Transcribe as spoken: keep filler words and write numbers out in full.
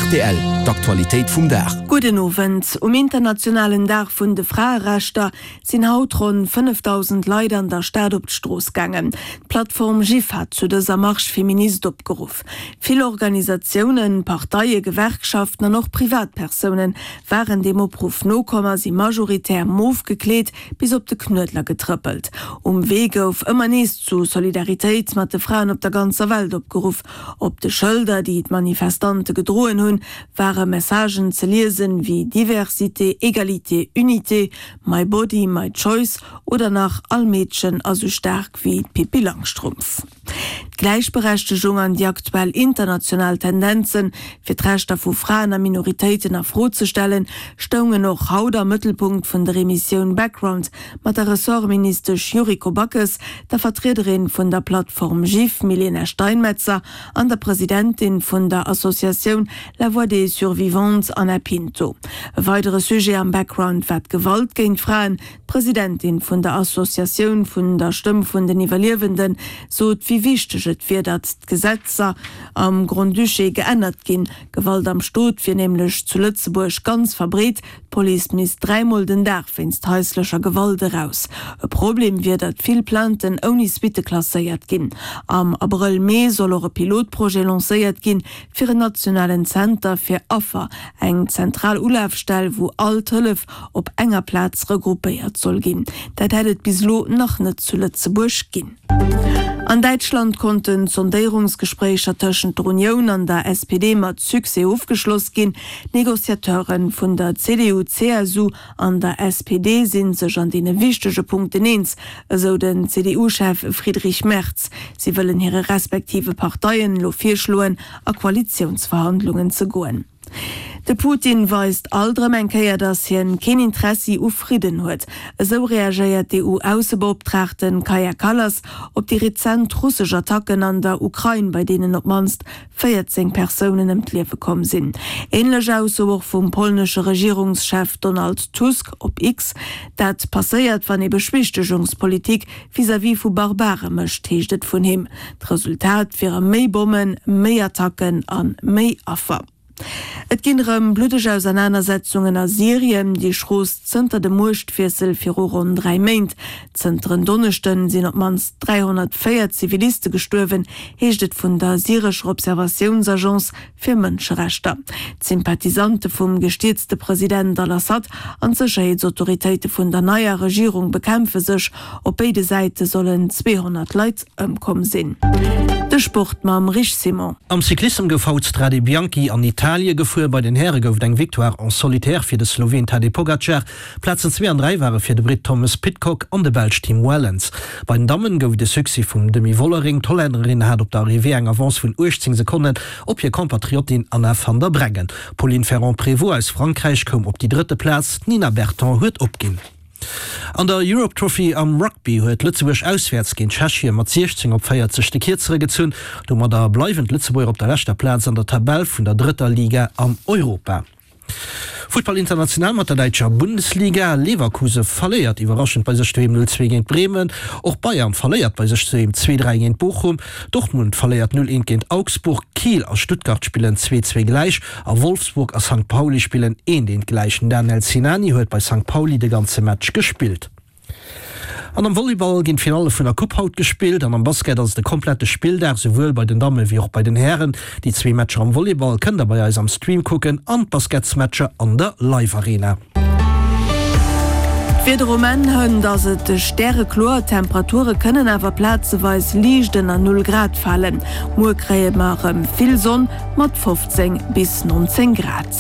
Rtl, d'Aktualitéit vum Dag. Gudden Owend. Um internationalen Dag vun de Fraerechter sinn haut ronn fënnefdausend Leit an der Stad op d'Strooss gaangen. D'Plattform GIF hat zu dëser Marche féministe opgeruff. Vill Organisatiounen, Parteien, Gewerkschaften an och Privatpersounen waren deem Opruff nokomm a si majoritär mof gekleet bis op de Knuedler getrëppelt. Um Wee gouf ëmmer nees zu Solidaritéit mat de Fraen op der ganzer Welt opgeruff. Op de Schëlder, déi d'Manifestante gedroen hunn, ware Messagen ze liesen wéi Diversité, Égalité, Unité, My Body, My Choice oder nach All Meedchen ass sou staark wéi d'Pippi Langstrumpf. D'Gläichberechtegung an déi aktuell international Tendenzen, fir d'Rechter vu Fraen a Minoritéiten a Fro ze stellen, stoungen och haut am Mëttelpunkt vun der Emissioun Background mat der Ressortministesch Yuriko Backes, der Vertriederin vun der Plattform GIF Milena Steinmetzer an der Presidentin vun der Associatioun La Voix des Survivantes Ana Pinto. E weidere Sujet am Background war d'Gewalt géint Fraen. D'Presidentin vun der Associatioun vun der Stëmm vun den Iwwerliewenden sot, wéi wichteg et wier, datt d'Gesetzer am Grand-Duché geännert ginn. Gewalt am Stot wier nämlech zu Lëtzebuerg ganz verbreet, d'Police misst dräimol den Dag wéinst haislecher Gewalt eraus. E Problem wier, datt vill Plainten ouni Suitte klasséiert ginn. Am Abrëll, Mee soll och e Pilotprojet lancéiert ginn, fir en nationalen Zenter fir Affer, eng zentral Ulafstell, wou all d'Hëllef op enger Plaz regroupéiert soll ginn. Dat hätt et bis elo nach net zu Lëtzebuerg ginn. An Däitschland konnten d'Sondéierungsgespréicher tëschent der Unioun an der S P D mat Succès ofgeschloss ginn. D'Negociateure vun der C D U, C S U an der S P D si sech an deene wichtege Punkten eens, esou den C D U-Chef Friedrich Merz. Si wëllen hire respektive Parteien elo virschloen, a Koalitiounsverhandlungen ze goen. De Putin weist alt erëm eng Kéier, datt hien keen Interessi u Fridden huet. Esou reagéiert d'E U-Aussebeoptraagten Kaja Kallas op déi rezent russesch Attacken an der Ukrain, bei deenen op d'mannst véierzéng Persounen ëm d'Liewe komm sinn. Änlech Ausso och vum polnesche Regierungschef Donald Tusk op X. Dat passéiert, wann ee Beschwichtegungspolitik vis-à-vis vu Barbare mécht, heescht et vun him. D'Resultat wiere méi Bommen, méi Attacken a méi Affer. Et ginn erëm bluddeg Ausernanersetzungen a Syrien, déi schroost zënter dem Muechtwiessel viru ronn dräi Méint. Zënter en Donneschden sinn op d'mannst dräihonnertvéier Ziviliste gestuerwen, heescht et vun der syrescher Observatiounsagence fir Mënscherechter. D'Sympathisante vum gestierzte President al-Assad an d'Sécherheetsautoritéite vun der neier Regierung bekämpfe sech. Op béide Säite sollen zweehonnert Leit ëmkomm sinn. De Sport mam Rich Simon. Am Cyclissem gouf haut d'Strade Bianchi an Italie gefuer. Bei den Häre gouf et eng Victoire en solitaire fir de Sloween Tadej Pogacar. Plazen zwee an dräi ware fir de Britt Thomas Pidcock an de Belsch Tim Wellens. Bei den Dammen gouf et e Succès vum Demi Vollering. D'Hollännerin hat op der Arrivée eng Avance vun uechtzéng Sekonnen op hir Compatriotin Anna van der Breggen. D'Pauline Ferrand-Prévot aus Frankräich koum op déi drëtte Plaz, d'Nina Berton huet opginn. An der Europe Trophy am Rugby huet Lëtzebuerg auswäerts géint Tschechien mat siechzéng op véierzeg de Kierzere gezunn. Domadder bleiwen d'Lëtzebuerger op der leschter Plaz an der Tabell vun der drëtter Liga an Europa. Futtball international mat der däitscher Bundesliga, Leverkusen verléiert iwwerraschend bei sech doheem null zwee géint Bremen. Och Bayern verléiert bei sech doheem zwee dräi géint Bochum. Dortmund verléiert null eent géint Augsburg. Kiel a Stuttgart spillen zwee zwee gläich a Wolfsburg a Sankt Pauli spillen eent eent gläich. Den Daniel Sinani huet bei Sankt Pauli de ganze Match gespillt. An am Volleyball ginn d'Finalle vun der Coupe haut gespillt an am Basket ass et e komplette Spilldag, souwuel bei den Damme wéi och bei den Hären. Déi zwee Matcher am Volleyball kënnt der bei eis am Stream kucken an d'Basketsmatcher an der Live Arena. D'Wieder um Enn hënt ass et stärekloer, d'Temperature kënnen awer plazeweis liicht ënner Null Grad falen. Muer kréie mer erëm vill Sonn mat fofzéng bis nonzéng Grad.